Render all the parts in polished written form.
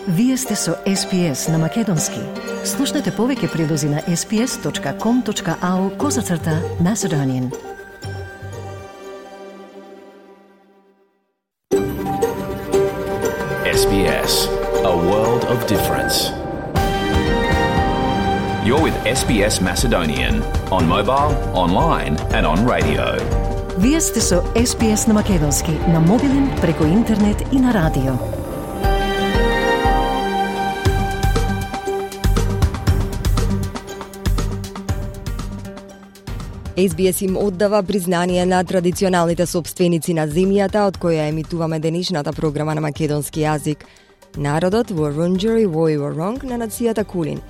Вие сте со SPS на Македонски. Слушнете повеќе прилози на sps.com.au/Macedonian. SBS, a world of difference. You're with SBS Macedonian on mobile, online and on radio. Вие сте со SPS на Македонски на мобилен, преку интернет и на радио. SBS им оддава признание на традиционалните собственици на земјата од која емитуваме денешната програма на македонски јазик. Народот Вурунджери Вој Воронг на нацијата Кулин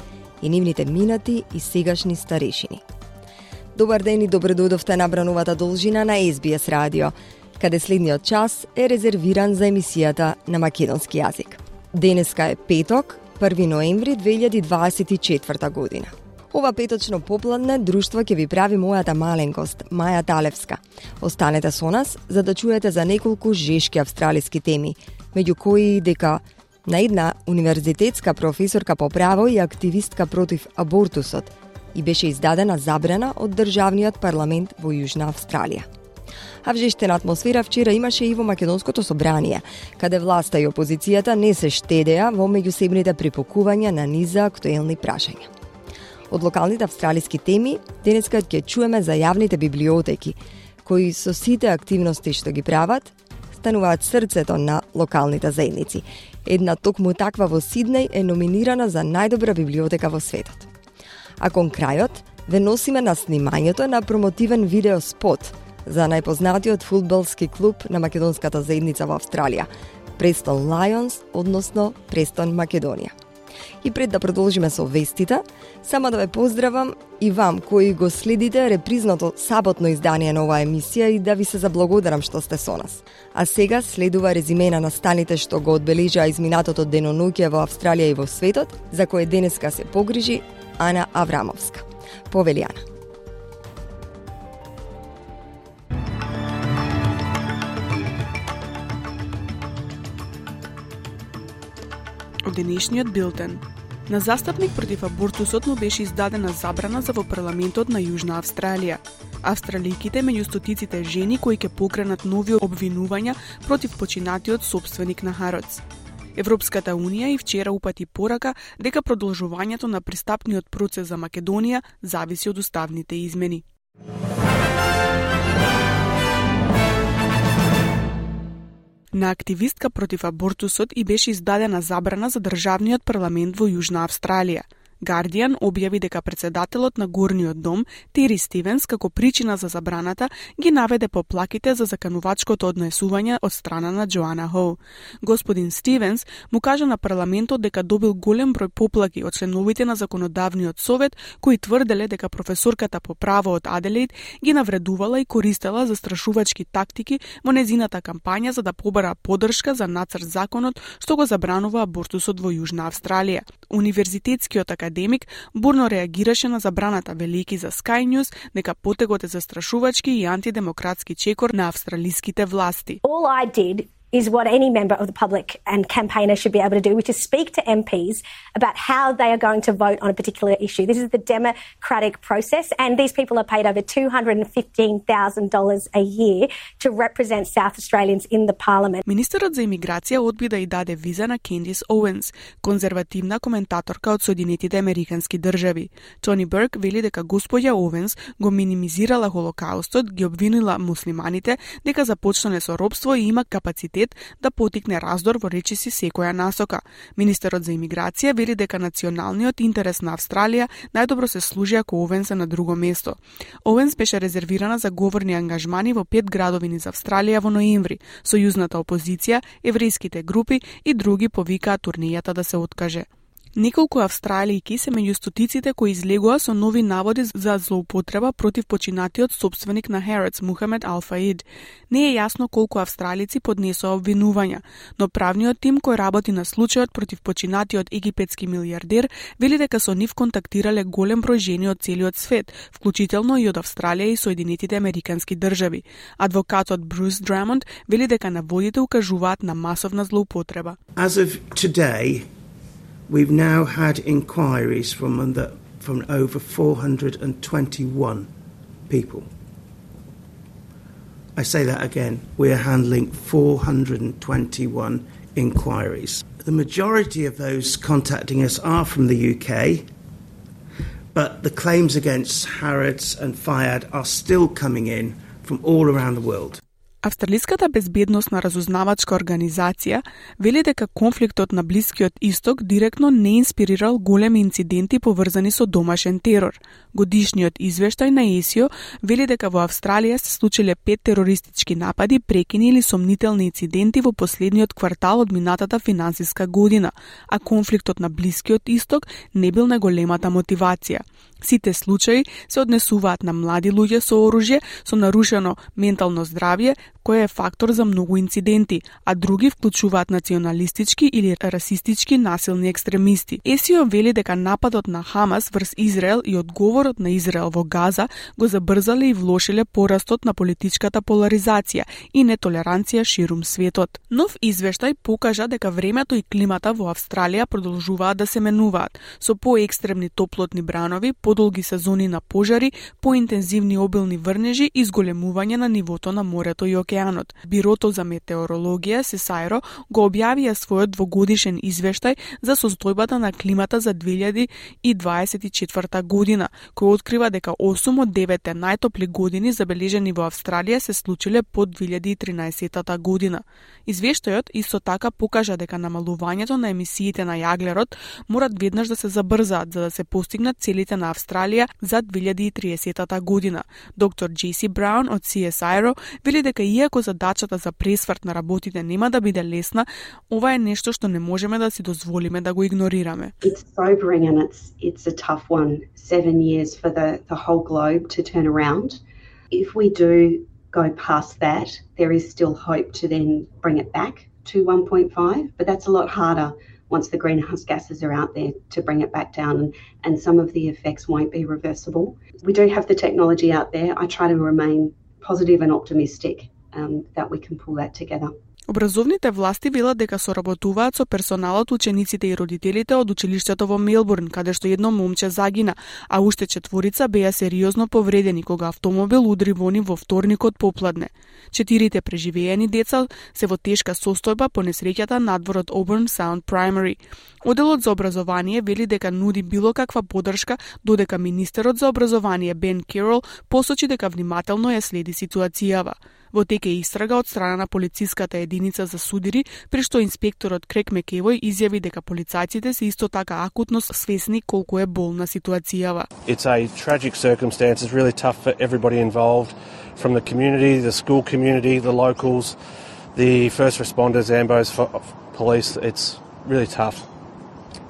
и нивните минати и сегашни старешини. Добар ден и добро дојдовте на брановата должина на SBS радио, каде следниот час е резервиран за емисијата на македонски јазик. Денеска е петок, 1 ноември 2024 година. Ова петочно попладне друштво ќе ви прави мојата маленкост, Маја Талевска. Останете со нас за да чуете за неколку жешки австралиски теми, меѓу кои дека на една универзитетска професорка по право и активистка против абортусот и беше издадена забрана од државниот парламент во Јужна Австралија. А вжештена атмосфера вчера имаше и во Македонското собрание, каде власта и опозицијата не се штедеа во меѓусебните припокувања на низа актуелни прашања. Од локалните австралиски теми, денеска ќе чуеме за јавните библиотеки, кои со сите активности што ги прават, стануваат срцето на локалните заедници. Една токму таква во Сиднеј е номинирана за најдобра библиотека во светот. А кон крајот, ве носиме на снимањето на промотивен видеоспот за најпознатиот фудбалски клуб на македонската заедница во Австралија, Престон Лајонс, односно Престон Македонија. И пред да продолжиме со вестите, само да ве поздравам и вам кои го следите репризното саботно издание на оваа емисија и да ви се заблагодарам што сте со нас. А сега следува резиме на настаните што го одбележаа изминатото деноноќе во Австралија и во светот, за кое денеска се погрижи Ана Аврамовска. Повели Ана. Од денешниот билтен. На застапник против абортусот му беше издадена забрана за во парламентот на Јужна Австралија. Австралијките меѓу стотиците жени кои ќе покренат нови обвинувања против починатиот собственик на Хароц. Европската Унија и вчера упати порака дека продолжувањето на пристапниот процес за Македонија зависи од уставните измени. На активистка против абортусот и беше издадена забрана за државниот парламент во Јужна Австралија. Guardian објави дека председателот на Горниот дом, Тери Стивенс, како причина за забраната, ги наведе поплаките за заканувачкото однесување од страна на Джоана Хоу. Господин Стивенс му кажа на парламентот дека добил голем број поплаки од членовите на законодавниот совет, кои тврделе дека професорката по право од Аделаид ги навредувала и користела застрашувачки тактики во незината кампања за да побара поддршка за нацрт законот што го забранува абортусот во Јужна Австралија. Универзитетскиот академик бурно реагираше на забраната, велики за Sky News дека потегот е застрашувачки и антидемократски чекор на австралиските власти. All I did is what any member of the public and campaigner should be able to do, which is speak to MPs about how they are going to vote on a particular issue. This is the democratic process, and these people are paid over $215,000 a year to represent South Australians in the parliament. Министерот за имиграција одби да и даде виза на Кендис Оуенс, конзервативна коментаторка од Соединетите Американски држави. Тони Берк вели дека госпоѓа Оуенс го минимизирала Холокаустот, ги обвинила муслиманите дека започнале со робство и има капацитет да потикне раздор во речиси секоја насока. Министерот за имиграција вели дека националниот интерес на Австралија најдобро се служи ако Оуенс е на друго место. Оуенс беше резервирана за говорни ангажмани во 5 градови низ Австралија во ноември. Сојузната опозиција, еврејските групи и други повикаа турнејата да се откаже. Неколку австралијки се меѓу стотиците кои излегоа со нови наводи за злоупотреба против починатиот собственик на Хароц, Мухамед Ал-Фаид. Не е јасно колку австралици поднесоа обвинувања, но правниот тим кој работи на случајот против починатиот египетски милијардер вели дека со нив контактирале голем број жени од целиот свет, вклучително и од Австралија и Соединетите Американски држави. Адвокатот Брус Драмонд вели дека наводите укажуваат на масовна злоупотреба. As of today, We've now had inquiries from over 421 people. I say that again. We are handling 421 inquiries. The majority of those contacting us are from the UK, but the claims against Harrods and Fayad are still coming in from all around the world. Австралиската безбедносна разузнавачка организација вели дека конфликтот на Блискиот Исток директно не инспирирал големи инциденти поврзани со домашен терор. Годишниот извештај на ЕСИО вели дека во Австралија се случиле 5 терористички напади, прекини или сомнителни инциденти во последниот квартал од минатата финансиска година, а конфликтот на Блискиот Исток не бил најголемата мотивација. Сите случаи се однесуваат на млади луѓе со оружје со нарушено ментално здравје, кој е фактор за многу инциденти, а други вклучуваат националистички или расистички насилни екстремисти. ЕСИО вели дека нападот на Хамас врз Израел и одговорот на Израел во Газа го забрзале и влошиле порастот на политичката поларизација и нетолеранција ширум светот. Нов извештај покажа дека времето и климата во Австралија продолжуваат да се менуваат, со поекстремни топлотни бранови, подолги сезони на пожари, поинтензивни обилни врнежи и зголемување на нивото на морето и океанот. Бирото за метеорологија ССАИРО го објавија својот двогодишен извештај за состојбата на климата за 2024 година, кој открива дека 8 од 9 најтопли години забележени во Австралија се случиле под 2013 година. Извештајот исто така покажа дека намалувањето на емисиите на јаглерод морат веднаш да се забрзаат за да се постигнат целите на Австралија за 2030 година. Доктор Джеси Браун од CSIRO вели дека иако задачата за пресврт на работите нема да биде лесна, ова е нешто што не можеме да си дозволиме да го игнорираме. It's sobering and it's a tough one. 7 years for the whole globe to turn around. If we do go past that, there is still hope to then bring it back to 1.5, but that's a lot harder once the greenhouse gases are out there to bring it back down, and some of the effects won't be reversible. We do have the technology out there. I try to remain positive and optimistic that we can pull that together. Образовните власти велат дека соработуваат со персоналот, учениците и родителите од училиштето во Мелбурн, каде што едно момче загина, а уште 4 беа сериозно повредени кога автомобил удри во нив во вторникот попладне. 4 преживеени деца се во тешка состојба по несреќата надвор од Auburn Sound Primary. Оделот за образование вели дека нуди било каква поддршка, додека министерот за образование Бен Керол посочи дека внимателно ја следи ситуацијава. Во тек е истрага од страна на полициската единица за судири, при што инспекторот Крек Мекевој изјави дека полицајците се исто така акутно свесни колку е болна ситуацијава. It's a tragic circumstance. It's really tough for everybody involved, from the community, the school community, the locals, the first responders, ambos, police. It's really tough.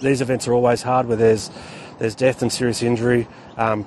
These events are always hard where there's death and serious injury,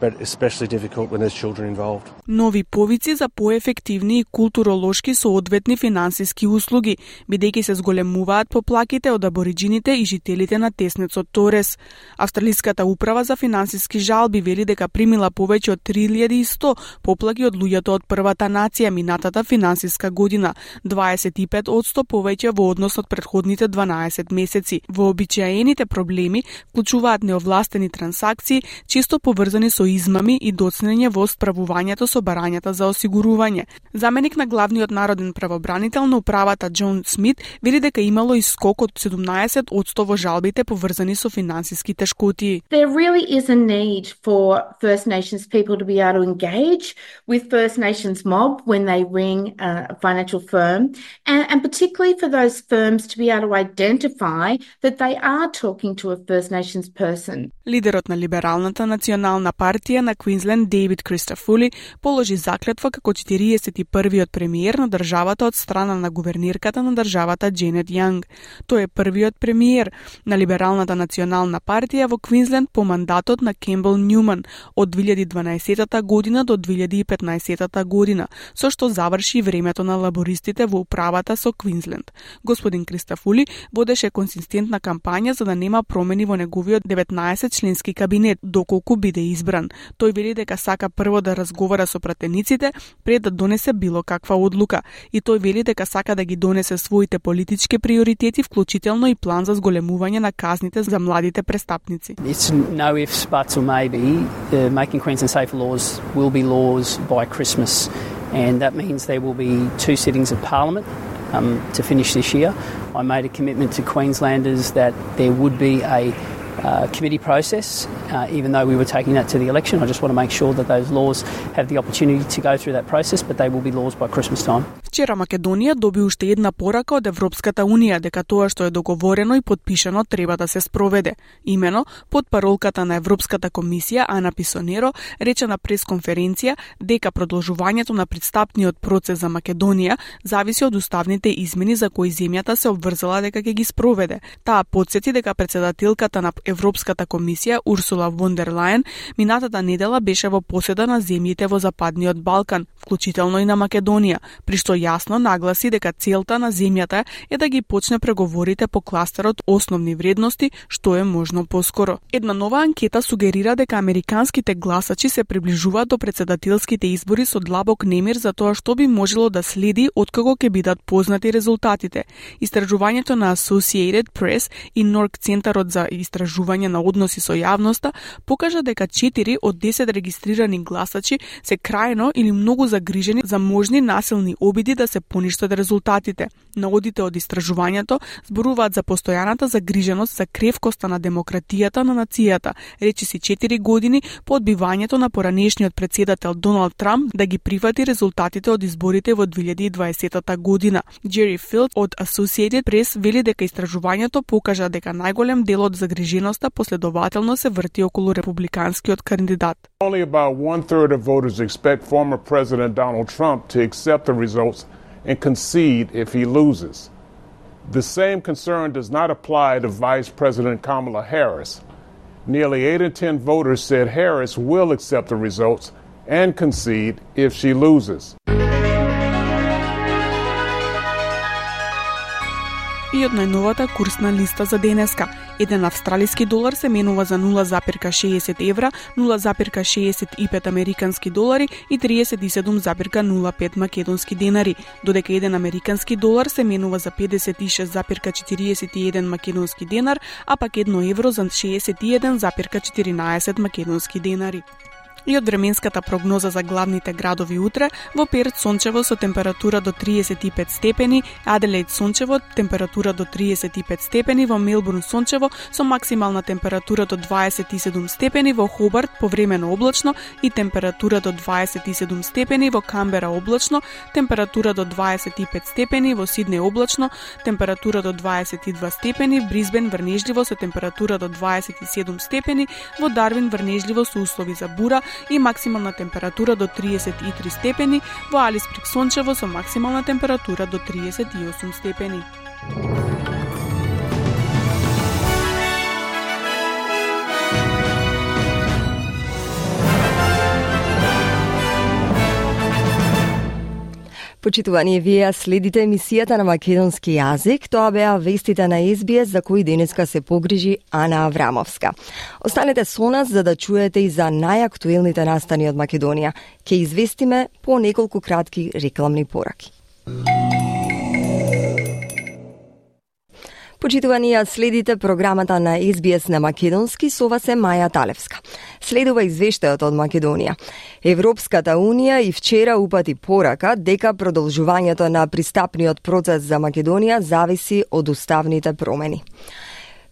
but especially difficult when there's children involved. Нови повици за поефективни и културолошки соодветни финансиски услуги, бидејќи се зголемуваат поплаките од абориџините и жителите на теснецот Торес. Австралиската управа за финансиски жалби вели дека примила повеќе од 3100 поплаки од луѓето од првата нација минатата финансиска година, 25% повеќе во однос од претходните 12 месеци. Вообичаените проблеми вклучуваат неовластени трансакции, често поврзани со измами и доцнење во справувањето со барањата за осигурување. Заменик на главниот народен правобранител на управата Џон Смит вели дека имало и скок од 17% во жалбите поврзани со финансиски тешкоти. There really is a need for First Nations people to be able to engage with First Nations mob when they ring a financial firm, and particularly for those firms to be able to identify that they are talking to a First Nations person. Лидерот на Либералната национална партија на Квинсленд Дейвид Кристофули положи заклетва како 41-виот премиер на државата од страна на гувернирката на државата Дженет Јанг. Тој е првиот премиер на Либералната национална партија во Квинсленд по мандатот на Кембел Њуман од 2012 година до 2015 година, со што заврши времето на лабористите во управата со Квинсленд. Господин Кристофули водеше консистентна кампања за да нема промени во неговиот 19-членски кабинет, доколку биде избран. Тој вели дека сака прво да разговара со пратениците пред да донесе било каква одлука, и тој вели дека сака да ги донесе своите политички приоритети, вклучително и план за зголемување на казните за младите престапници. It's no ifs, buts or maybe. Making Queensland safer laws will be laws by Christmas, and that means there will be 2 sittings of Parliament to finish this year. I made a commitment to Queenslanders that there would be a committee process, even though we were taking that to the election. I just want to make sure that those laws have the opportunity to go through that process, but they will be laws by Christmas time. Вчера Македонија доби уште една порака од Европската Унија дека тоа што е договорено и подпишано треба да се спроведе. Имено, под паролката на Европската комисија Ана Писонеро рече на пресконференција дека продолжувањето на пристапниот процес за Македонија зависи од уставните измени за кои земјата се обврзала дека ќе ги спроведе. Таа потсети дека председателката на Европската комисија Урсула фон дер Лајен минатата недела беше во поседа на земјите во Западниот Балкан, вклучително и на Македонија, при што јасно нагласи дека целта на земјата е да ги почне преговорите по кластерот основни вредности што е можно поскоро. Една нова анкета сугерира дека американските гласачи се приближуваат до председателските избори со длабок немир за тоа што би можело да следи откако ќе бидат познати резултатите. Истражувањето на Associated Press и Норк Центарот за истражување на односи со јавноста покажа дека 4 од 10 регистрирани гласачи се крајно или многу загрижени за можни насилни обиди да се поништат резултатите. Наводите од истражувањето зборуваат за постојаната загриженост за кревкоста на демократијата на нацијата, речиси 4 години по одбивањето на поранешниот председател Доналд Трамп да ги прифати резултатите од изборите во 2020 година. Джери Филд од Associated Press вели дека истражувањето покажа дека најголем дел од загриженоста последователно се врти околу републиканскиот кандидат. Only about 1/3 of voters expect former President Donald Trump to accept the results and concede if he loses. The same concern does not apply to Vice President Kamala Harris. Nearly 8 in 10 voters said Harris will accept the results and concede if she loses. И од најновата курсна листа за денеска. Еден австралиски долар се менува за 0,60 евра, 0,65 американски долари и 37,05 македонски денари, додека еден американски долар се менува за 56,41 македонски денар, а пак 1 евро за 61,14 македонски денари. И од временската прогноза за главните градови утре, во Перт сончево со температура до 35 степени, Аделаид сончево, температура до 35 степени, во Мелбурн сончево со максимална температура до 27 степени, во Хобарт повремено облачно и температура до 27 степени, во Камбера облачно, температура до 25 степени, во Сиднеј облачно, температура до 22 степени, в Брисбен врнежливо со температура до 27 степени, во Дарвин врнежливо со услови за бура и максимална температура до 33 степени, во Алисприк сончево со максимална температура до 38 степени. Почитувани, вие следите емисијата на македонски јазик. Тоа беа вестите на SBS за кои денеска се погрижи Ана Аврамовска. Останете со нас за да чуете и за најактуелните настани од Македонија. Ке известиме по неколку кратки рекламни пораки. Почитувани, следите програмата на SBS на македонски, со вас е Маја Талевска. Следува извештајот од Македонија. Европската Унија и вчера упати порака дека продолжувањето на пристапниот процес за Македонија зависи од уставните промени.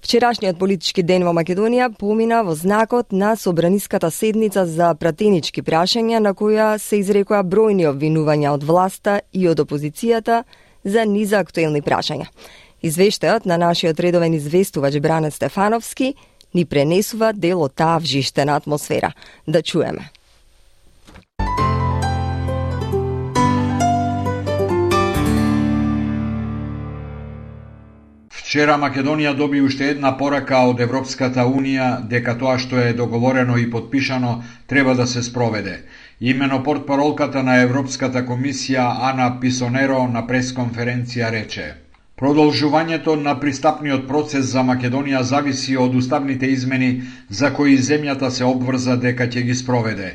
Вчерашниот политички ден во Македонија помина во знакот на собраниската седница за пратенички прашања на која се изрекоа бројни обвинувања од власта и од опозицијата за низа актуелни прашања. Извештајот на нашиот редовен известувач Бране Стефановски ни пренесува дел од таа вжиштена атмосфера. Да чуеме. Вчера Македонија доби уште една порака од Европската Унија дека тоа што е договорено и подпишано треба да се спроведе. Имено портпаролката на Европската комисија Ана Писонеро на пресконференција рече: Продолжувањето на пристапниот процес за Македонија зависи од уставните измени за кои земјата се обврза дека ќе ги спроведе.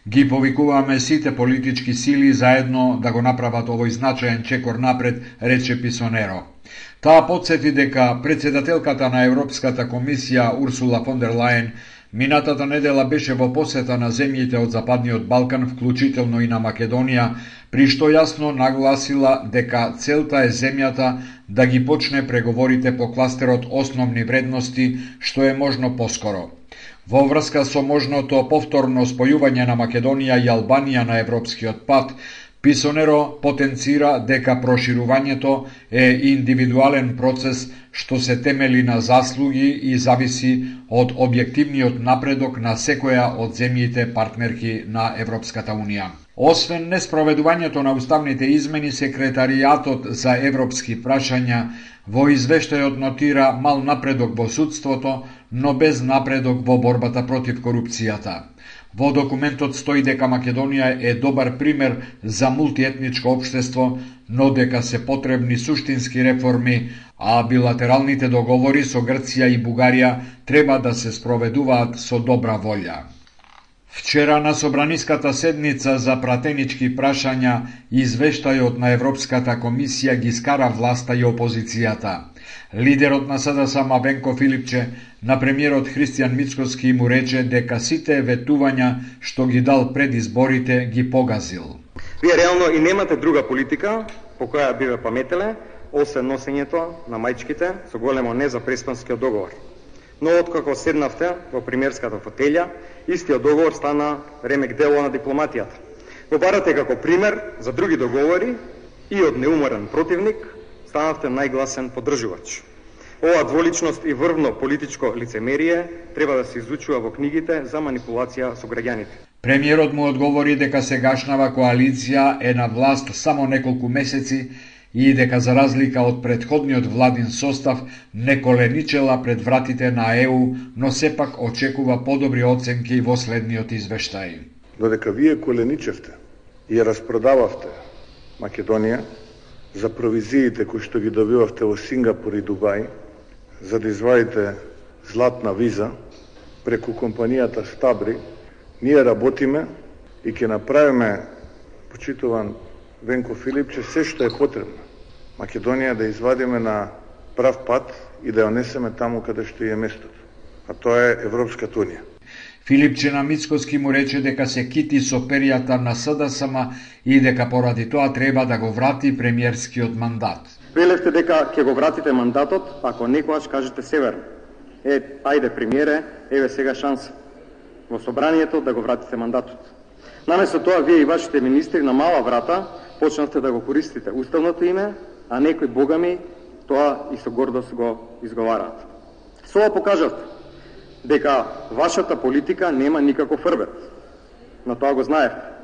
Ги повикуваме сите политички сили заедно да го направат овој значаен чекор напред, рече Писонеро. Таа потсети дека председателката на Европската комисија Урсула фон дер Лајен минатата недела беше во посета на земјите од Западниот Балкан, вклучително и на Македонија, при што јасно нагласила дека целта е земјата да ги почне преговорите по кластерот основни вредности, што е можно поскоро. Во врска со можното повторно спојување на Македонија и Албанија на европскиот пат, Писонеро потенцира дека проширувањето е индивидуален процес што се темели на заслуги и зависи од објективниот напредок на секоја од земјите партнерки на Европската Унија. Освен неспроведувањето на уставните измени, Секретаријатот за европски прашања во извештајот нотира мал напредок во судството, но без напредок во борбата против корупцијата. Во документот стои дека Македонија е добар пример за мултиетничко општество, но дека се потребни суштински реформи, а билатералните договори со Грција и Бугарија треба да се спроведуваат со добра волја. Вчера на собраниската седница за пратенички прашања извештајот на Европската комисија ги скара власта и опозицијата. Лидерот на СДСМ Венко Филипче на премиерот Христијан Мицкоски му рече дека сите ветувања што ги дал пред изборите ги погазил. Вие реално и немате друга политика по која би ве паметеле, освен носењето на мајчките со големо не за преспанскиот договор. Но откако седнавте во премиерската фотелја, истиот договор стана ремек дело на дипломатијата. Го барате како пример за други договори и од неуморен противник станавте најгласен поддржувач. Ова дволичност и врвно политичко лицемерие треба да се изучува во книгите за манипулација со граѓаните. Премиерот му одговори дека сегашнава коалиција е на власт само неколку месеци и дека за разлика од предходниот владин состав не коленичела пред вратите на ЕУ, но сепак очекува подобри оценки во следниот извештај. Додека вие коленичевте и распродававте Македонија за провизиите кои што ги добивавте во Сингапур и Дубај, за да извадите златна виза преку компанијата Стабри, ние работиме и ќе направиме, почитуван Венко Филипче, се што е потребно Македонија да извадиме на прав пат и да ја несеме таму каде што е местото, а тоа е Европската Унија. Филипче на Мицкоски му рече дека се кити со перијата на СДСМ и дека поради тоа треба да го врати премиерскиот мандат. Велевте дека ќе го вратите мандатот, ако некојаш кажете северно. Ајде премиере, еве сега шанса во собранието да го вратите мандатот. Наместо тоа, вие и вашите министри на мала врата почнавте да го користите уставното име, а некои богами тоа и со гордост го изговараат. Со ова покажавте дека вашата политика нема никаков рвет. На тоа го знаевте.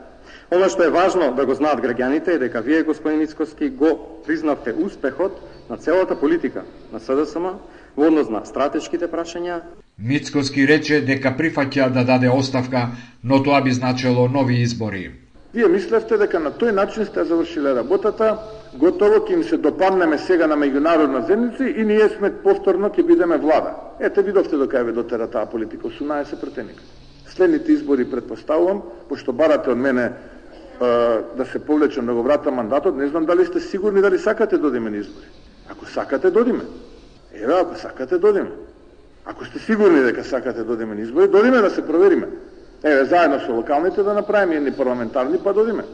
Оно што е важно да го знаат граѓаните е дека вие, господин Мицкоски, го признавте успехот на целата политика на СДСМ во однос на стратешките прашања. Мицкоски рече дека прифаќа да даде оставка, но тоа би значело нови избори. Вие мислевте дека на тој начин сте завршиле работата, готово ќе им се допаднеме сега на меѓународна заедница и ние сме повторно ќе бидеме влада. Ете видовте до кај ве дотера таа политика, 18 претеника. Следните избори предпоставувам, пошто барате од мене да се повлечам да го вратам мандатот, не знам дали сте сигурни дали сакате додиме на избори. Ако сакате додиме. Еве, ако сакате додиме. Ако сте сигурни дека сакате додиме на избори, додиме да се провериме. Еве, заедно со локалните да направиме едни парламентарни, па додиме.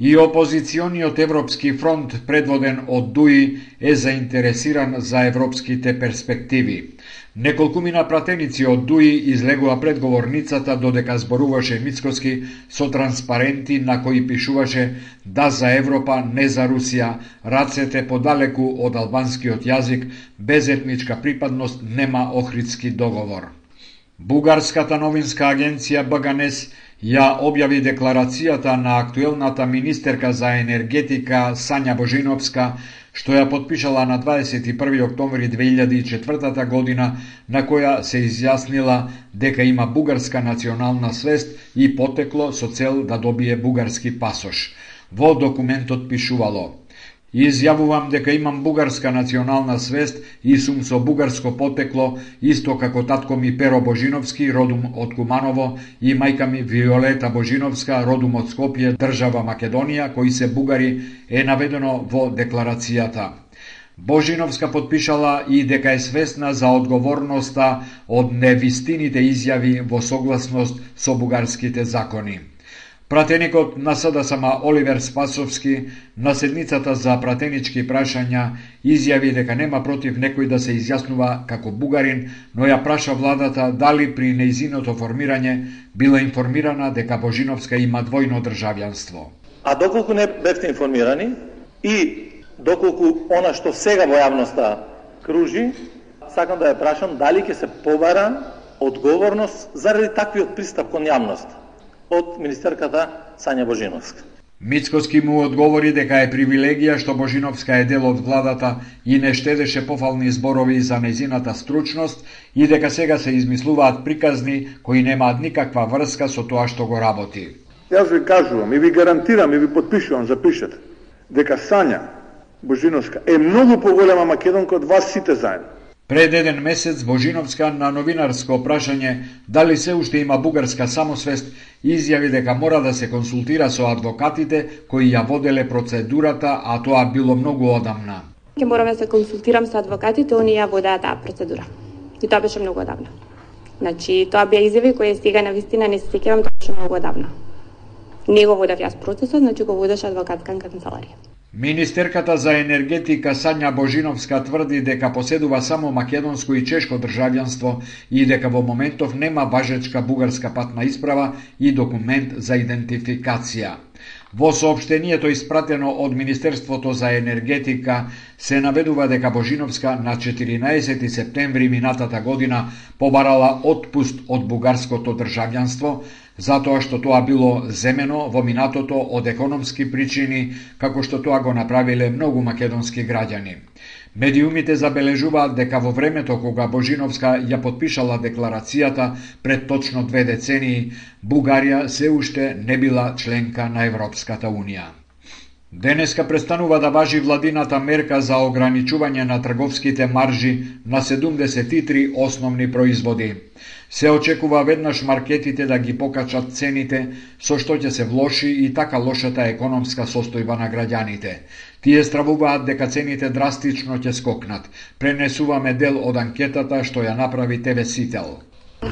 И опозициониот Европски фронт, предводен од ДУИ, е заинтересиран за европските перспективи. Неколкумина пратеници од ДУИ излегува пред говорницата додека зборуваше Мицкоски со транспаренти на кои пишуваше да за Европа, не за Русија, рацете подалеку од албанскиот јазик, без етничка припадност нема Охридски договор. Бугарската новинска агенција БГНЕС ја објави декларацијата на актуелната министерка за енергетика Сања Божиновска, што ја подпишала на 21. октомври 2004 година, на која се изјаснила дека има бугарска национална свест и потекло со цел да добие бугарски пасош. Во документот пишувало: Изјавувам дека имам бугарска национална свест и сум со бугарско потекло, исто како татко ми Перо Божиновски, родум од Куманово, и мајка ми Виолета Божиновска, родум од Скопје, држава Македонија, кои се бугари, е наведено во декларацијата. Божиновска потпишала и дека е свесна за одговорноста од невистините изјави во согласност со бугарските закони. Пратеникот на СДСМ Оливер Спасовски на седницата за пратенички прашања изјави дека нема против некој да се изјаснува како бугарин, но ја праша владата дали при нејзиното формирање била информирана дека Божиновска има двојно државјанство. А доколку не бевте информирани и доколку она што сега во јавноста кружи, сакам да ја прашам дали ќе се побара одговорност заради таквиот пристап кон јавност од министерката Сања Божиновска. Мицкоски му одговори дека е привилегија што Божиновска е дел од владата и не штедеше пофални зборови за нејзината стручност и дека сега се измислуваат приказни кои немаат никаква врска со тоа што го работи. Јас ви кажувам и ви гарантирам и ви подпишувам, запишете, дека Сања Божиновска е многу поголема македонка од вас сите заедно. Пред еден месец Божиновска на новинарско прашање дали се уште има бугарска самосвест изјави дека мора да се консултира со адвокатите кои ја воделе процедурата, а тоа било многу одамна. Ќе морам да се консултирам со адвокатите, они ја водеа таа процедура. И тоа беше многу одамна. Значи, тоа беа изјави кои сега на вистина не се сеќавам, тоа беше многу одамна. Не го водев јас процесот, значи го водеше адвокатска канцеларија. Министерката за енергетика Сања Божиновска тврди дека поседува само македонско и чешко државјанство и дека во моментов нема важечка бугарска патна исправа и документ за идентификација. Во соопштението испратено од Министерството за енергетика се наведува дека Божиновска на 14 септември минатата година побарала отпуст од бугарското државјанство, затоа што тоа било земено во минатото од економски причини, како што тоа го направиле многу македонски граѓани. Медиумите забележуваат дека во времето кога Божиновска ја подпишала декларацијата пред точно 2 децении, Бугарија се уште не била членка на Европската Унија. Денеска престанува да важи владината мерка за ограничување на трговските маржи на 73 основни производи. Се очекува веднаш маркетите да ги покачат цените, со што ќе се влоши и така лошата економска состојба на граѓаните. Тие стравуваат дека цените драстично ќе скокнат. Пренесуваме дел од анкетата што ја направи ТВ Сител.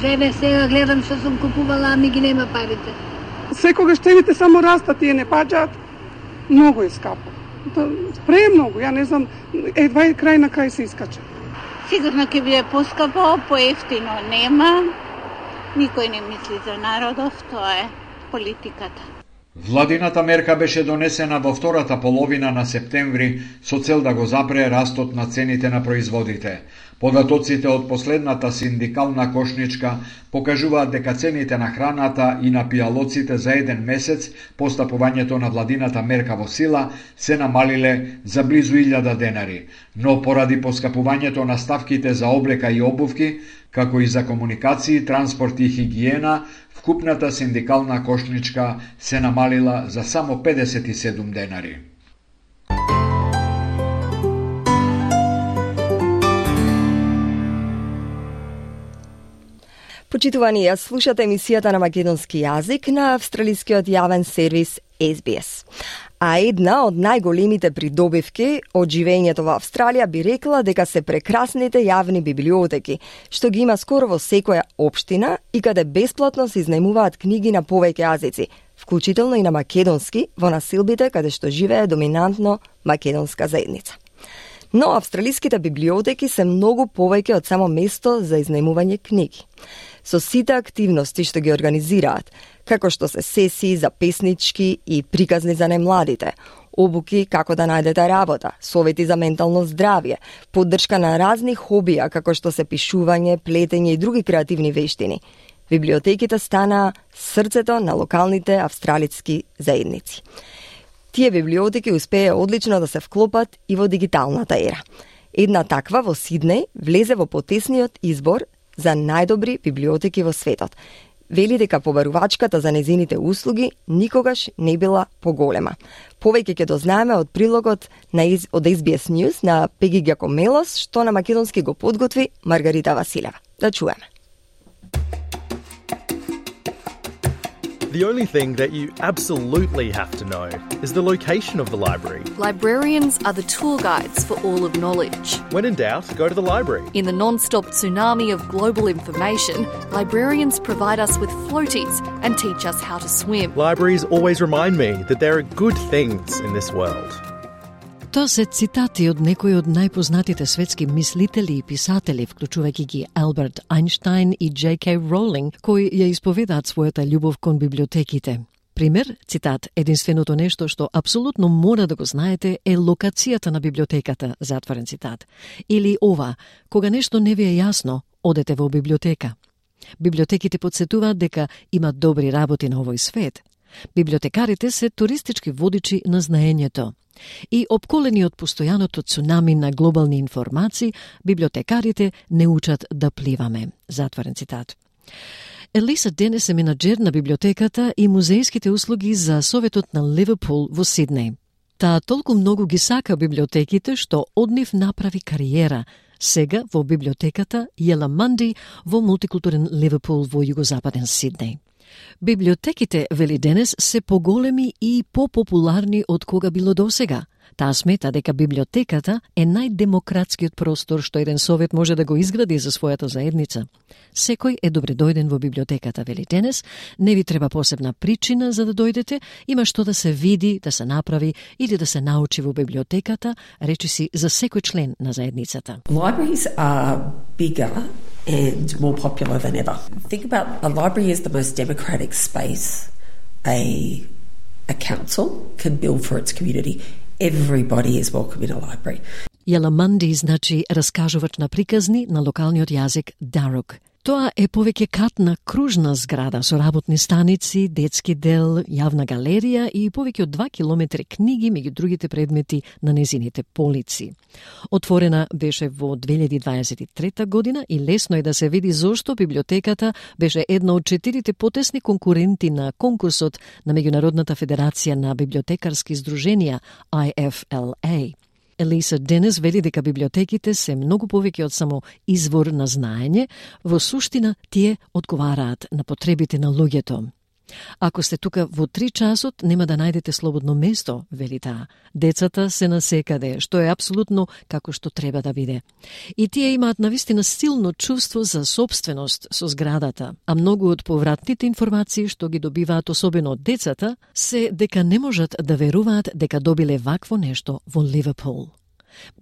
Еве сега гледам што сум купувала, а ми ги нема парите. Секогаш цените само растат, тие не паѓаат. Многу е скапо. Премногу, ја не знам, едва и крај на крај се искача. Сигурно ќе биде поскапо, поевтино нема. Никој не мисли за народов, тоа е политиката. Владината мерка беше донесена во втората половина на септември со цел да го запре растот на цените на производите. Податоците од последната синдикална кошничка покажуваат дека цените на храната и на пијалоците за еден месец по стапувањето на владината мерка во сила се намалиле за близу 1000 денари, но поради поскапувањето на ставките за облека и обувки, како и за комуникации, транспорт и хигиена, вкупната синдикална кошничка се намалила за само 57 денари. Почитувани, ја слушате емисијата на македонски јазик на австралискиот јавен сервис SBS. А една од најголемите придобивки од живењето во Австралија би рекла дека се прекрасните јавни библиотеки, што ги има скоро во секоја општина и каде бесплатно се изнајмуваат книги на повеќе јазици, вклучително и на македонски во населбите каде што живее доминантно македонска заедница. Но австралиските библиотеки се многу повеќе од само место за изнајмување книги. Со сите активности што ги организираат, како што се сесии за песнички и приказни за најмладите, обуки како да најдете работа, совети за ментално здравје, поддршка на разни хобија како што се пишување, плетење и други креативни вештини, библиотеките стана срцето на локалните австралиски заедници. Тие библиотеки успеа одлично да се вклопат и во дигиталната ера. Една таква во Сиднеј влезе во потесниот избор за најдобри библиотеки во светот. Вели дека побарувачката за незините услуги никогаш не била поголема. Повеќе ќе дознаеме од прилогот од SBS News на Пеги Гјакомелос, што на македонски го подготви Маргарита Василева. Да чуеме. The only thing that you absolutely have to know is the location of the library. Librarians are the tour guides for all of knowledge. When in doubt, go to the library. In the non-stop tsunami of global information, librarians provide us with floaties and teach us how to swim. Libraries always remind me that there are good things in this world. Тоа се цитати од некои од најпознатите светски мислители и писатели, вклучувајќи ги Алберт Ајнштајн и J.K. Роулинг, кои ја исповедаат својата љубов кон библиотеките. Пример, цитат, единственото нешто што апсолутно мора да го знаете е локацијата на библиотеката, затворен цитат. Или ова, кога нешто не ви е јасно, одете во библиотека. Библиотеките подсетуваат дека има добри работи на овој свет. Библиотекарите се туристички водичи на знаењето. И обколени од постојаното цунами на глобални информации, библиотекарите не учат да пливаме. Затворен цитат. Елиса Денес е менаџер на библиотеката и музејските услуги за Советот на Ливерпул во Сиднеј. Таа толку многу ги сака библиотеките што од нив направи кариера. Сега во библиотеката Јела Манди во мултикултурен Ливерпул во југозападен Сиднеј. Библиотеките, вели Денес, се поголеми и попопуларни од кога било досега. Таа смета дека библиотеката е најдемократскиот простор што еден совет може да го изгради за својата заедница. Секој е добре дојден во библиотеката, вели Денес, не ви треба посебна причина за да дојдете, има што да се види, да се направи или да се научи во библиотеката, речиси за секој член на заедницата. Libraries are bigger and more popular than ever. Think about a library is the most democratic space a council can build for its community. Everybody is welcome in a library. Јела Манди значи раскажувач на приказни на локалниот јазик Дарук. Тоа е повеќе катна кружна зграда со работни станици, детски дел, јавна галерија и повеќе од 2 километри книги меѓу другите предмети на незините полици. Отворена беше во 2023 година и лесно е да се види зошто библиотеката беше една од 4 потесни конкуренти на конкурсот на Меѓународната федерација на библиотекарски здруженија IFLA. Елиса Денес вели дека библиотеките се многу повеќе од само извор на знаење, во суштина тие одговараат на потребите на луѓето. Ако сте тука во 3 часот, нема да најдете слободно место, вели таа. Децата се насекаде, што е апсолутно како што треба да биде. И тие имаат навистина силно чувство за собственост со зградата, а многу од повратните информации што ги добиваат особено од децата, се дека не можат да веруваат дека добиле вакво нешто во Ливерпул.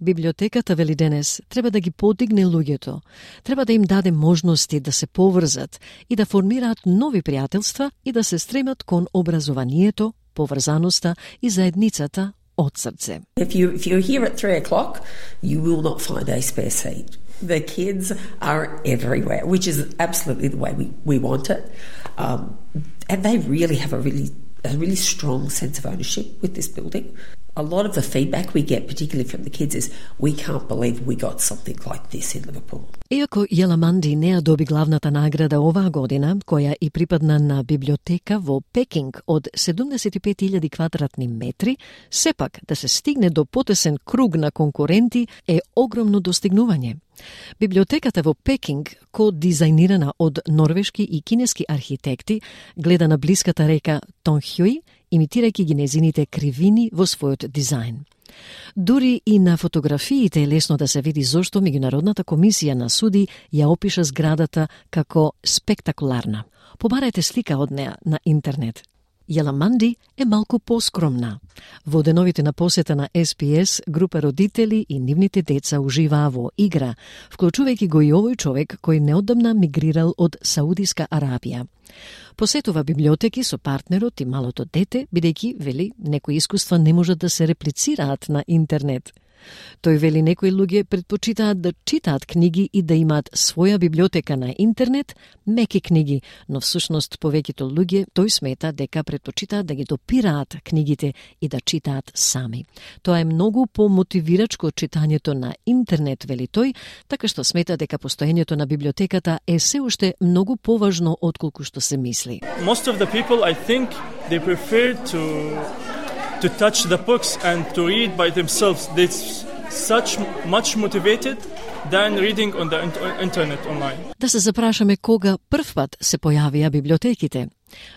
Библиотеката, вели Денес, треба да ги подигне луѓето, треба да им даде можности да се поврзат и да формираат нови пријателства и да се стремат кон образованието, поврзаноста и заедницата од срце. If you're here at 3 o'clock, you will not find a spare seat. The kids are everywhere, which is absolutely the way we want it. And they really have a really strong sense of ownership with this building. A lot of the feedback we get, particularly from the kids, is we can't believe we got something like this in Liverpool. Иако Јела Манди не ја доби главната награда оваа година, која и припадна на библиотека во Пекинг од 75.000 квадратни метри, сепак да се стигне до потесен круг на конкуренти е огромно достигнување. Библиотеката во Пекинг, ко-дизајнирана од норвешки и кинески архитекти, гледа на блиската река Тонхјуј, имитирајќи ги незините кривини во својот дизајн. Дури и на фотографиите е лесно да се види зошто Меѓународната комисија на суди ја опиша зградата како спектакуларна. Побарајте слика од неа на интернет. Јела Манди е малку поскромна. Во деновите на посета на SPS, група родители и нивните деца уживаа во игра, вклучувајќи го и овој човек кој неодамна мигрирал од Саудиска Арабија. Посетува библиотеки со партнерот и малото дете, бидејќи, вели, некои искуства не можат да се реплицираат на интернет. Тој вели некои луѓе предпочитаат да читаат книги и да имаат своја библиотека на интернет, меки книги, но всушност повеќето луѓе тој смета дека предпочитаат да ги допираат книгите и да читаат сами. Тоа е многу помотивирачко од читањето на интернет, вели тој, така што смета дека постоењето на библиотеката е се уште многу поважно отколку што се мисли. Most of the people, I think, they prefer to touch the books and to read by themselves. They're such much motivated than reading on the internet online. Да се запрашаме кога првпат се појавија библиотеките.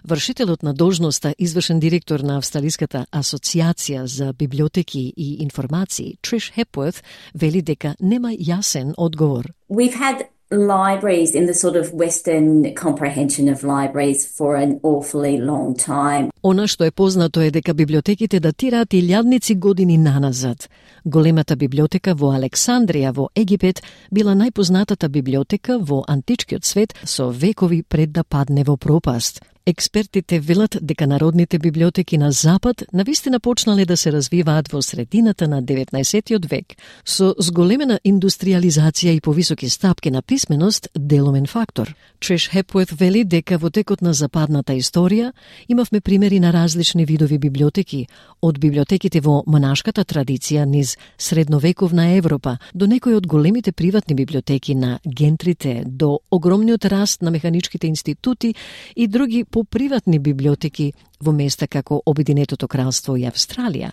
Вршителот на должноста, извршен директор на Австралиската асоциација за библиотеки и информации, Trish Hepworth, вели дека нема јасен одговор. We've had libraries in the sort of Western comprehension of libraries for an awfully long time. Она што е познато е дека библиотеките датираат илјадници години наназад. Големата библиотека во Александрија во Египет била најпознатата библиотека во античкиот свет со векови пред да падне во пропаст. Експертите велат дека народните библиотеки на Запад навистина почнале да се развиваат во средината на 19. век, со зголемена индустриализација и повисоки стапки на писменост делумен фактор. Триш Хепует вели дека во текот на западната историја имавме примери на различни видови библиотеки, од библиотеките во монашката традиција низ средновековна Европа до некои од големите приватни библиотеки на гентрите, до огромниот раст на механичките институти и други поприватни библиотеки во места како Обединетото кралство и Австралија,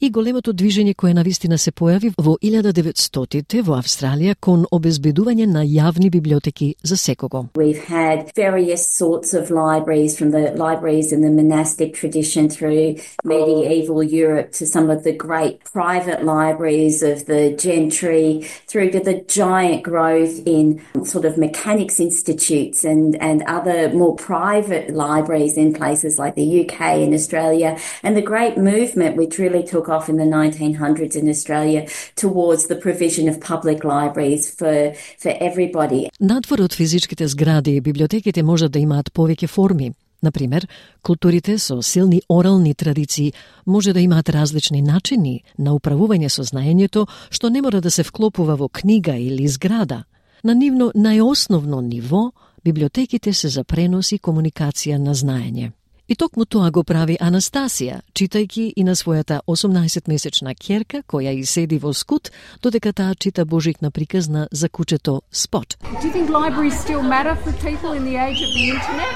и големото движење кое навистина се појави во 1900-те во Австралија кон обезбедување на јавни библиотеки за секого. We've had various sorts of libraries, from the libraries in the monastic tradition through medieval Europe to some of the great private libraries of the gentry, through to the giant growth in sort of mechanics institutes and other more private libraries in places like the UK and Australia, and the great movement which really took off in the 1900s in Australia towards the provision of public libraries for everybody. Надвор од физичките згради, библиотеките можат да имаат повеќе форми. Например, културите со силни орални традиции може да имаат различни начини на управување со знаењето, што не мора да се вклопува во книга или зграда. На нивно најосновно ниво, библиотеките се за пренос и комуникација на знаење. И токму тоа го прави Анастасија, читајќи и на својата 18-месечна ќерка, која и седи во скут, додека таа чита Божикна приказна за кучето Спот. Do you think libraries still matter for people in the age of the internet?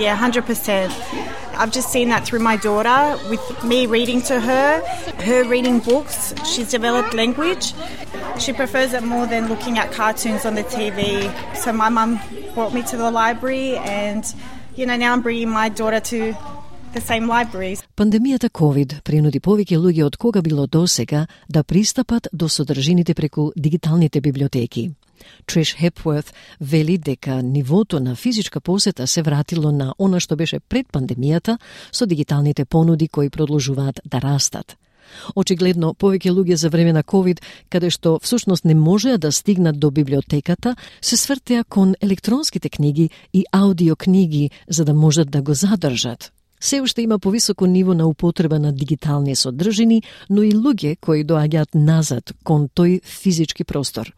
Yeah, 100%. I've just seen that through my daughter, with me reading to her reading books. She's developed language. She prefers it more than looking at cartoons on the TV. So my mum brought me to the library, and now I'm bringing my daughter to the same libraries. Пандемијата COVID принуди повеќе луѓе од кога било досега да пристапат до содржините преку дигиталните библиотеки. Триш Хепворth вели дека нивото на физичка посета се вратило на она што беше пред пандемијата со дигиталните понуди кои продолжуваат да растат. Очигледно, повеќе луѓе за време на COVID, каде што всушност не можеа да стигнат до библиотеката, се свртеа кон електронските книги и аудиокниги за да можат да го задржат. Се уште има повисоко ниво на употреба на дигитални содржини, но и луѓе кои доаѓаат назад кон тој физички простор.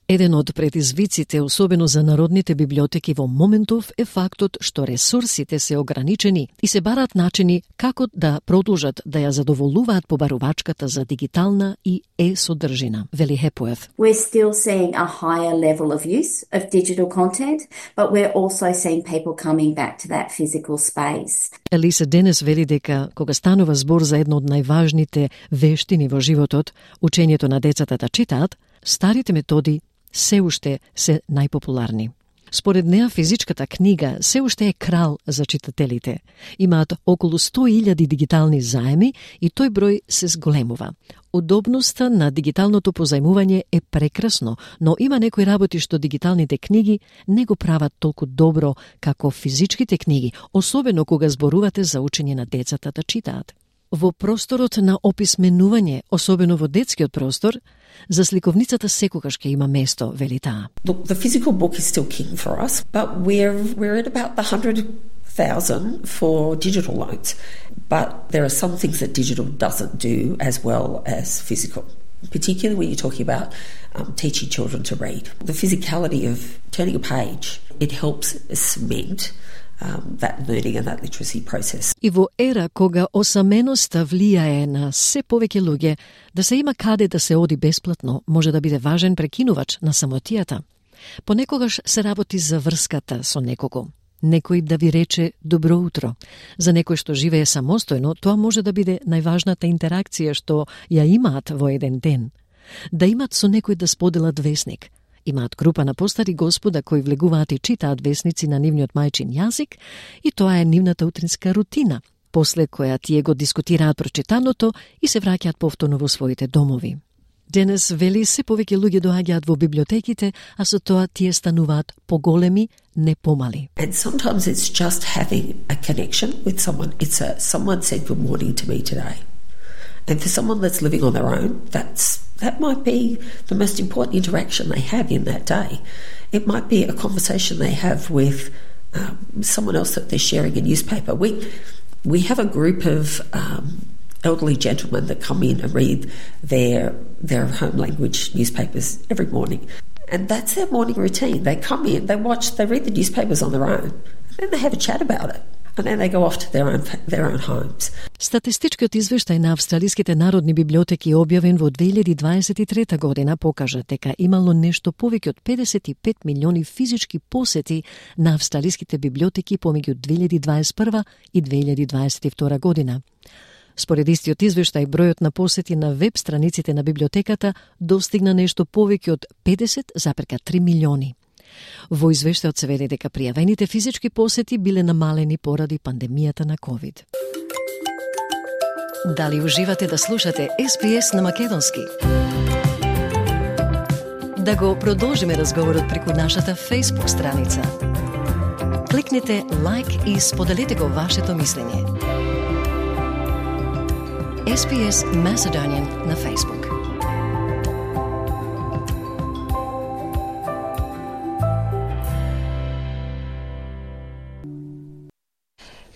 Еден од предизвиците, особено за народните библиотеки во моментов, е фактот што ресурсите се ограничени и се бараат начини како да продолжат да ја задоволуваат побарувачката за дигитална и содржина, вели Хепует. We're still seeing a higher level of use of digital content, but we're also seeing people coming back to that physical space. Елиса денес вели дека кога станува збор за едно од најважните вештини во животот, учењето на децата да читаат, старите методи се уште се најпопуларни. Според неа, физичката книга се уште е крал за читателите. Имаат околу 100.000 дигитални заеми и тој број се зголемува. Удобноста на дигиталното позајмување е прекрасно, но има некои работи што дигиталните книги не го прават толку добро како физичките книги, особено кога зборувате за учење на децата да читаат. Во просторот на описменување, особено во детскиот простор, за сликовницата секогаш ќе има место, вели таа. Look, the physical book is still king for us, but we're at about the 100,000 for digital loans. But there are some things that digital doesn't do as well as physical. particularly when you're talking about teaching children to read. The physicality of turning a page, it helps cement that learning and that literacy process. И во ера кога осаменоста влијае на се повеќе луѓе, да се има каде да се оди бесплатно може да биде важен прекинувач на самотијата. Понекогаш се работи за врската со некого. Некој да ви рече добро утро. За некој што живее самостојно, тоа може да биде најважната интеракција што ја имаат во еден ден. Да имат со некој да споделат весник. Имаат група на постари господа кои влегуваат и читаат весници на нивниот мајчин јазик и тоа е нивната утринска рутина, после која тие го дискутираат прочитаното и се враќаат повторно во своите домови. Денес, вели, се повеќе луѓе доаѓаат во библиотеките, а со тоа тие стануваат поголеми, не помали. And sometimes it's just having a connection with someone. Someone said good morning to me today. And for someone that's living on their own, that might be the most important interaction they have in that day. It might be a conversation they have with someone else that they're sharing a newspaper. We have a group of elderly gentlemen that come in and read their home language newspapers every morning. And that's their morning routine. They come in, they read the newspapers on their own, and then they have a chat about it. And then they go off to their own homes. Статистичкиот извештај на австралиските народни библиотеки објавен во 2023 година покажа дека имало нешто повеќе од 55 милиони физички посети на австралиските библиотеки помеѓу 2021 и 2022 година. Според истиот извештај, бројот на посети на веб страниците на библиотеката достигна нешто повеќе од 50,3 милиони. Во извештајот се вели дека пријавените физички посети биле намалени поради пандемијата на COVID. Дали уживате да слушате SBS на македонски? Да го продолжиме разговорот преку нашата Facebook страница. Кликнете лайк и споделете го вашето мислење. SBS Macedonian на Facebook.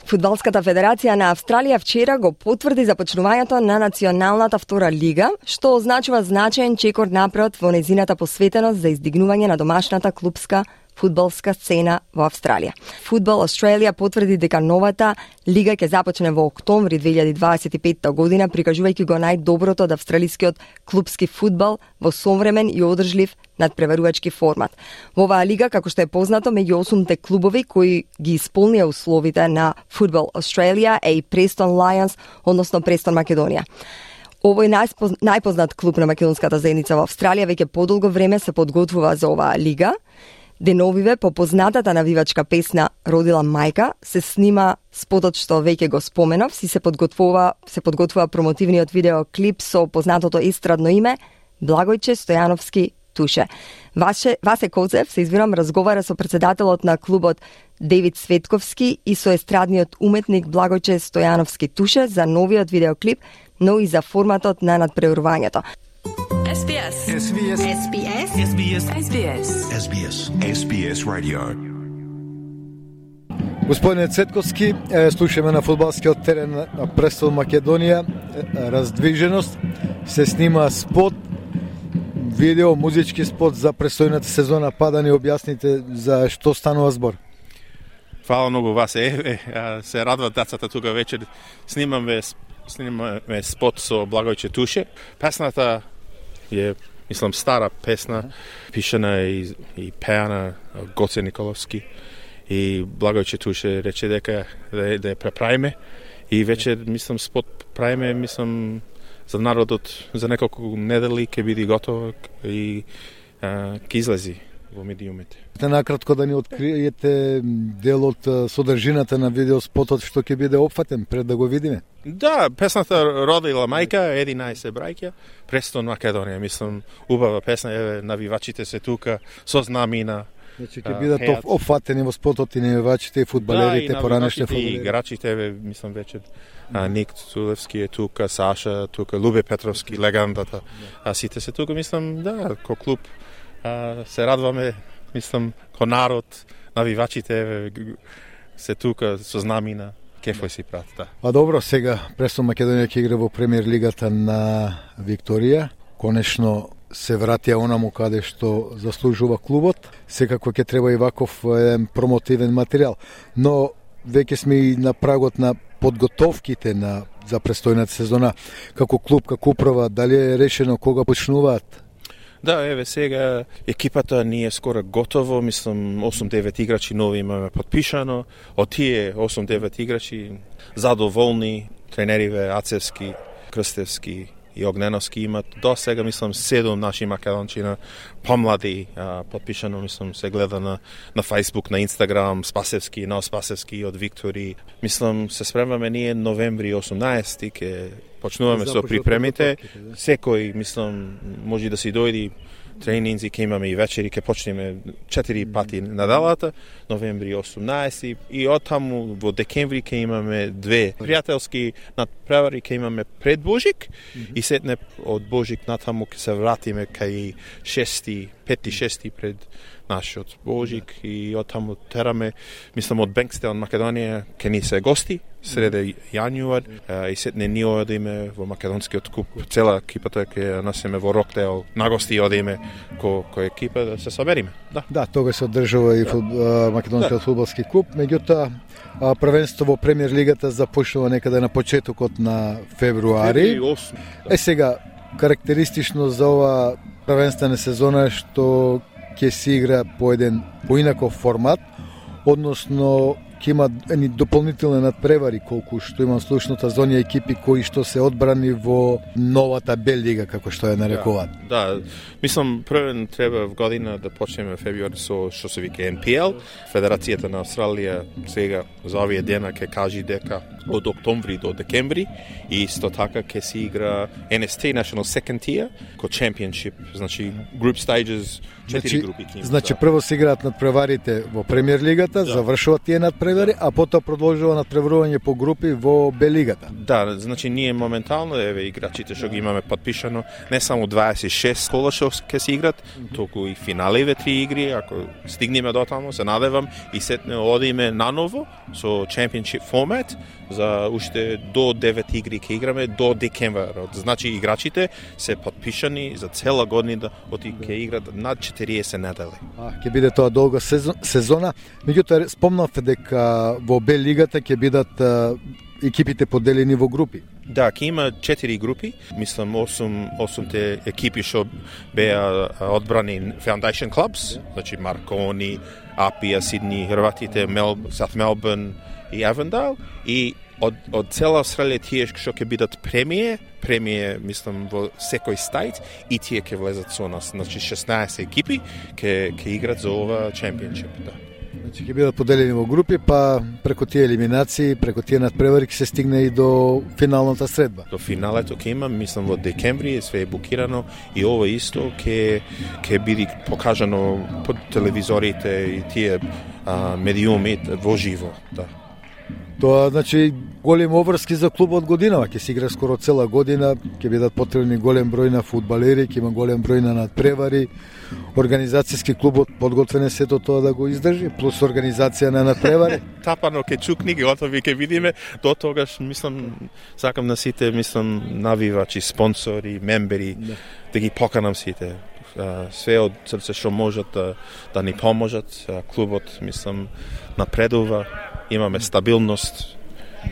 Фудбалската федерација на Австралија вчера го потврди започнувањето на Националната втора лига, што означува значаен чекор напред во нејзината посветеност за издигнување на домашната клупска фудбалска сцена во Австралија. Football Australia потврди дека новата лига ќе започне во октомври 2025 година, прикажувајќи го најдоброто од австралискиот клупски фудбал во современ и одржлив надпреварувачки формат. Во оваа лига, како што е познато, меѓу 8 клубови кои ги исполнија условите на Football Australia е и Preston Lions, односно Preston Македонија. Овој најпознат клуб на македонската заедница во Австралија веќе подолго време се подготвува за оваа лига. Деновиве по познатата навивачка песна "Родила мајка" се снима спотот што веќе го споменав, се подготвува промотивниот видеоклип со познатото естрадно име Благојче Стојановски Туше. Васе Коцев, се извинувам, разговара со председателот на клубот Девид Светковски и со естрадниот уметник Благојче Стојановски Туше за новиот видеоклип, но и за форматот на надпреварувањето. SBS. SBS. SBS. SBS. SBS. SBS. SBS Radio. Господине Цетковски, слушаме на фудбалскиот терен на Престон Македонија раздвиженост. Се снима спот, видео, музички спот за престојната сезона. Па да ни објасните за што станува збор. Фала многу вас. Се радват децата тука вечер. Снимаме спот со Благојче Туше. Песната е, мислам, стара песна, пишана и пеана од Гоце Николовски. И Благојче Туше рече дека да ја преправиме. И вече, мислам, спот правиме, мислам, за народот за неколку недели ќе биде готово и ќе излези во медиумите. Накратко да ни откриете дел од содржината на видеоспотот што ќе биде опфатен пред да го видиме. Да, песната "Родила мајка", 11 браќа, Престон Македонија, мислам, убава песна, еве навивачите се тука со знамина. Значи ќе бидат опфатени во спотот и навивачите и фудбалерите, поранешни фудбалери. И играчите, еве, мислам вече Ник Цулевски е тука, Саша тука, Лубе Петровски, легендата. А сите се тука, мислам, да, ко клуб се радваме, мислам, ко народ, навивачите се тука со знамина, кефој си прат, да. А добро, сега Престон Македонија ќе игра во премиер лигата на Викторија. конечно се вратија онаму каде што заслужува клубот. Секако ќе треба и ваков промотивен материјал. Но веќе сме и на прагот на подготовките за престојната сезона. Како клуб, како управа, дали е решено кога почнуваат? Да, еве сега екипата ни е скоро готово, мислам 8-9 играчи нови имаме подпишано. Од тие 8-9 играчи задоволни, тренериве Ацевски, Крстевски и Огненовски имат до сега, мислам, 7 наши македончина помлади подпишано, мислам, се гледа на Facebook, на Instagram, Спасевски, Нов Спасевски од Виктори. Мислам, се спремаме ние новември 18 ке почнуваме со припремите. Секој, мислам, може да си дојди тренинзи, ке имаме и вечери, ке почнеме 4 пати неделата, новември 18 и оттаму во декември ке имаме 2 пријателски надпревари, ке имаме пред Божик и сетне од Божик натаму ке се вратиме кај 5-6 пред нашиот Божик и оттаму тераме, мислам, од Бенкстел, Македонија, ке ни се гости среде јануар и сетне ние одиме во македонскиот куп, цела екипата ќе носиме во Роктейл, на гости одиме кој екипа да се собериме. Да, тога се одржува и македонскиот фудбалски клуб, меѓутоа првенство во премиер лигата започнува некаде на почетокот на февруари. Сега карактеристично за ова првенствена сезона што ќе се игра по еден поинаков формат, односно ќе има едни дополнителни надпревари, колку што имам слушната за оние екипи кои што се одбрани во новата Б лига, како што ја нарекуваат. Да, мислам, првен треба в година да почнеме февруари со што се вика NPL. Федерацијата на Австралија сега за овие дена ќе кажи дека од октомври до декември и исто така ќе се игра NST National Second Tier ко Championship, значи group stages, 4 групи ќе има. Значи прво се играат надпреварите во премиер лигата, завршуваат тие надпревари, а потоа продолжува надпреварување по групи во Б лигата. Да, значи ние моментално еве играчите што ги имаме подпишано, не само 26 кола што ќе се играт, туку и финалеве 3 игри, ако стигнеме до таму, се надевам и сетне одиме наново со Championship формат за уште до 9 игри ќе играме до декември. Значи играчите се подпишани за цела година ќе играт над 40 недели. Ќе биде тоа долга сезона. Меѓутоа спомнавте дека во Б лигата ќе бидат екипите поделени во групи. Да, ќе има 4 групи, мислам 8 екипи што беа одбрани Foundation Clubs, значи Маркони, Апија, Сидни, Хрватите, South Melbourne и Avondale и од цела Австралија тие што ќе бидат премие, мислам, во секој стајт и тие ќе влезат со нас. Значи 16 екипи ќе играт за ова Championship, да. Значи ќе бидат поделени во групи, па преку тие елиминации, преку тие надпревари ќе се стигне и до финалната средба. До финалето ќе има, мислам, во декември, све е букирано и ова исто ќе биде покажано по телевизорите и тие медиуми во живо, да. Тоа значи голем обврски за клубот годинава, ќе се игра скоро цела година, ќе бидат потребни голем број на фудбалери, ќе има голем број на надпревари. Организацијски клубот подготвен е сето тоа да го издржи, плюс организација на надпревари. Тапано ке чукни, готови ке видиме, до тогаш мислам сакам на сите, мислам навивачи, спонсори, мембери, да ги поканам сите. Све од срце што можат да ни поможат. Клубот, мислам, напредува. Имаме стабилност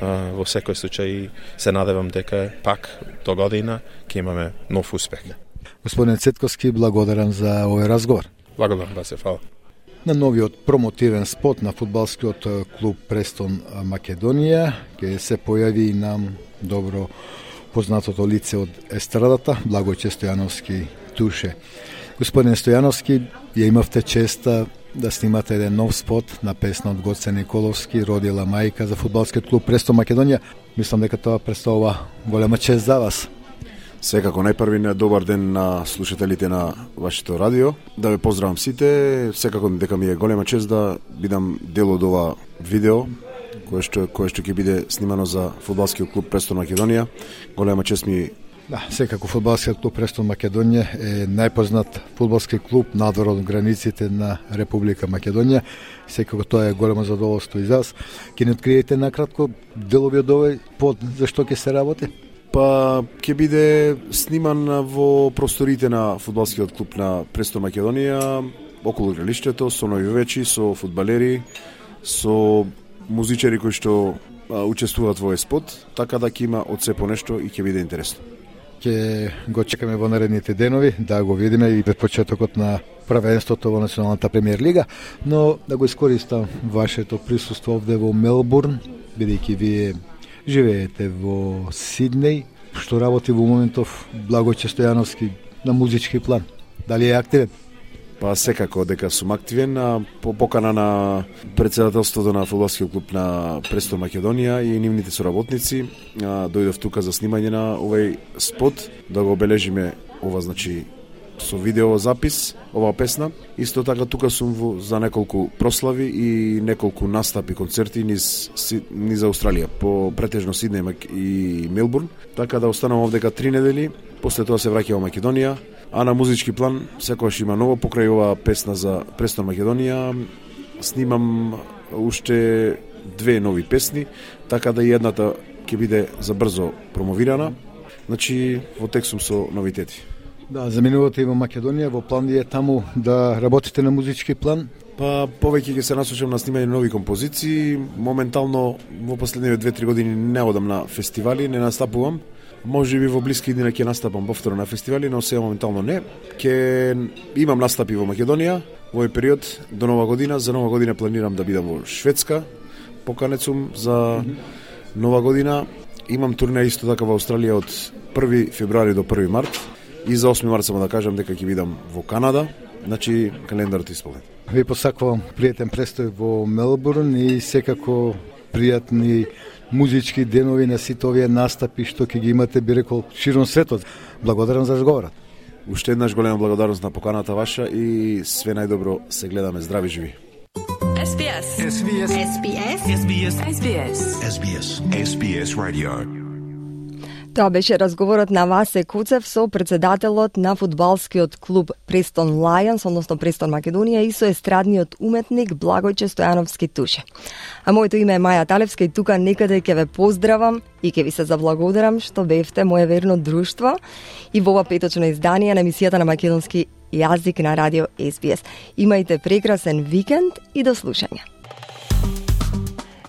во секој случај се надевам дека пак до година ќе имаме нов успех. Господин Цетковски, благодарам за овој разговор. Благодарам, да се фала. На новиот промотивен спот на фудбалскиот клуб Престон Македонија ќе се појави и нам добро познатото лице од естрадата, Благојче Стојановски Туше. Господин Стојановски, ја имавте честа да снимате еден нов спот на песна од Гоце Николовски, Родила мајка за фудбалскиот клуб Престон Македонија. Мислам дека тоа представува голема чест за вас. Секако најпрви добар ден на слушателите на вашето радио. Да ве поздравам сите. Секако дека ми е голема чест да бидам дел од ова видео кое што ќе биде снимано за фудбалскиот клуб Престон Македонија. Голема чест ми. Да, секако фудбалскиот клуб Престон Македонија е најпознат фудбалски клуб надвор од границите на Република Македонија. Секако тоа е големо задоволство и за вас. Ќе ни откриете накратко делови од овој под за што ќе се работи? Па ќе биде сниман во просторите на фудбалскиот клуб на Престон Македонија, околу игралиштето, со навивачи, со фудбалери, со музичари кои што учествуваат во спот, така да ќе има од се по нешто и ќе биде интересно. Ќе го чекаме во наредните денови да го видиме и пред почетокот на првенството во Националната премиер лига, но да го искористам вашето присуство овде во Мелбурн, бидејќи вие живеете во Сиднеј, што работи во моментов Благојче Стојановски на музички план. Дали е активен? Па секако дека сум активен, по покана на председателството на фудбалскиот клуб на Престон Македонија и нивните соработници, дојдов тука за снимање на овој спот, да го обележиме ова, значи, со видео запис, оваа песна. Исто така тука сум за неколку прослави и неколку настапи, концерти низ Австралија, по претежно Сиднеј и Мелбурн, така да останам овдека 3 недели, после тоа се враќам во Македонија, а на музички план секогаш има ново покрај оваа песна за Престон Македонија. Снимам уште 2 нови песни, така да и едната ќе биде за брзо промовирана. Значи, во тек сум со новитети. Да, заминувате и во Македонија, во план е таму да работите на музички план? Па повеќе ќе се насочам на снимање нови композиции. Моментално во последниве 2-3 години не одам на фестивали, не настапувам. Може би во блиски дни ќе настапам повторно на фестивали, но сега моментално не. Ќе имам настапи во Македонија во овој период до Нова година. За Нова година планирам да бидам во Шведска. Поканет сум за Нова година. Имам турне исто така во Австралија од 1 февруари до 1 март. И за 8 март само да кажам дека ќе бидам во Канада. Значи, календарот е исполнет. Ви посакувам пријатен престој во Мелбурн и секако пријатни музички денови на сите овие настапи што ќе ги имате, би рекол, широм светот. Благодарам за разговорот. Уште еднаш голема благодарност на поканата ваша и све најдобро, се гледаме здрави живи. SBS. SBS. SBS. SBS. SBS. SBS. SBS Radio. Тоа беше разговорот на Васе Куцев со председателот на фудбалскиот клуб Престон Лајонс, односно Престон Македонија, и со естрадниот уметник Благојче Стојановски Туше. А моето име е Маја Талевска и тука некаде ќе ве поздравам и ќе ви се заблагодарам што бевте моје верно друштво и во ова петочно издание на емисијата на македонски јазик на радио SBS. Имајте прекрасен викенд и до слушање.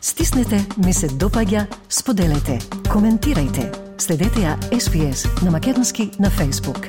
Стиснете, ми се допаѓа, споделете, коментирајте. Следете ја SBS на македонски на Facebook.